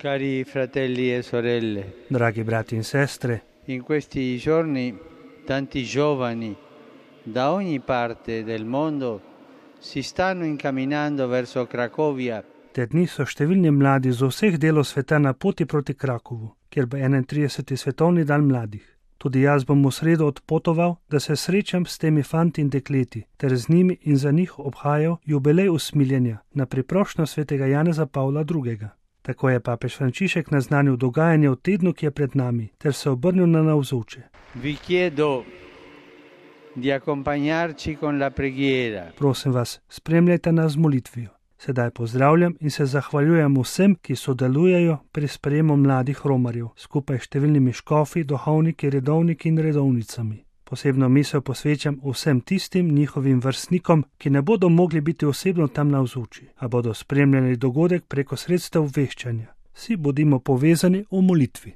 Cari fratelli e sorelle, Dragi brati in sestre, in questi giorni tanti giovani da ogni parte del mondo si stanno incamminando verso Cracovia te dni so številni mladi z vseh delov sveta na poti proti Krakovu, kjer bo 31. svetovni dan mladih. Tudi jaz bom v sredo odpotoval, da se srečam s temi fanti in dekleti, ter z njimi in za njih obhajal jubilej usmiljenja na priprošnjo svetega Janeza Pavla II. Tako je papež Frančišek naznanil dogajanje v tednu, ki je pred nami, ter se obrnil na navzoče. Vi chiedo di accompagnarci con la preghiera. Prosim vas, spremljajte nas z molitvijo. Sedaj pozdravljam in se zahvaljujem vsem, ki sodelujejo pri sprejemu mladih romarjev, skupaj s številnimi škofi, duhovniki, redovniki in redovnicami. Posebno misel posvečam vsem tistim njihovim vrstnikom, ki ne bodo mogli biti osebno tam navzoči, a bodo spremljali dogodek preko sredstev obveščanja. Vsi bodimo povezani v molitvi.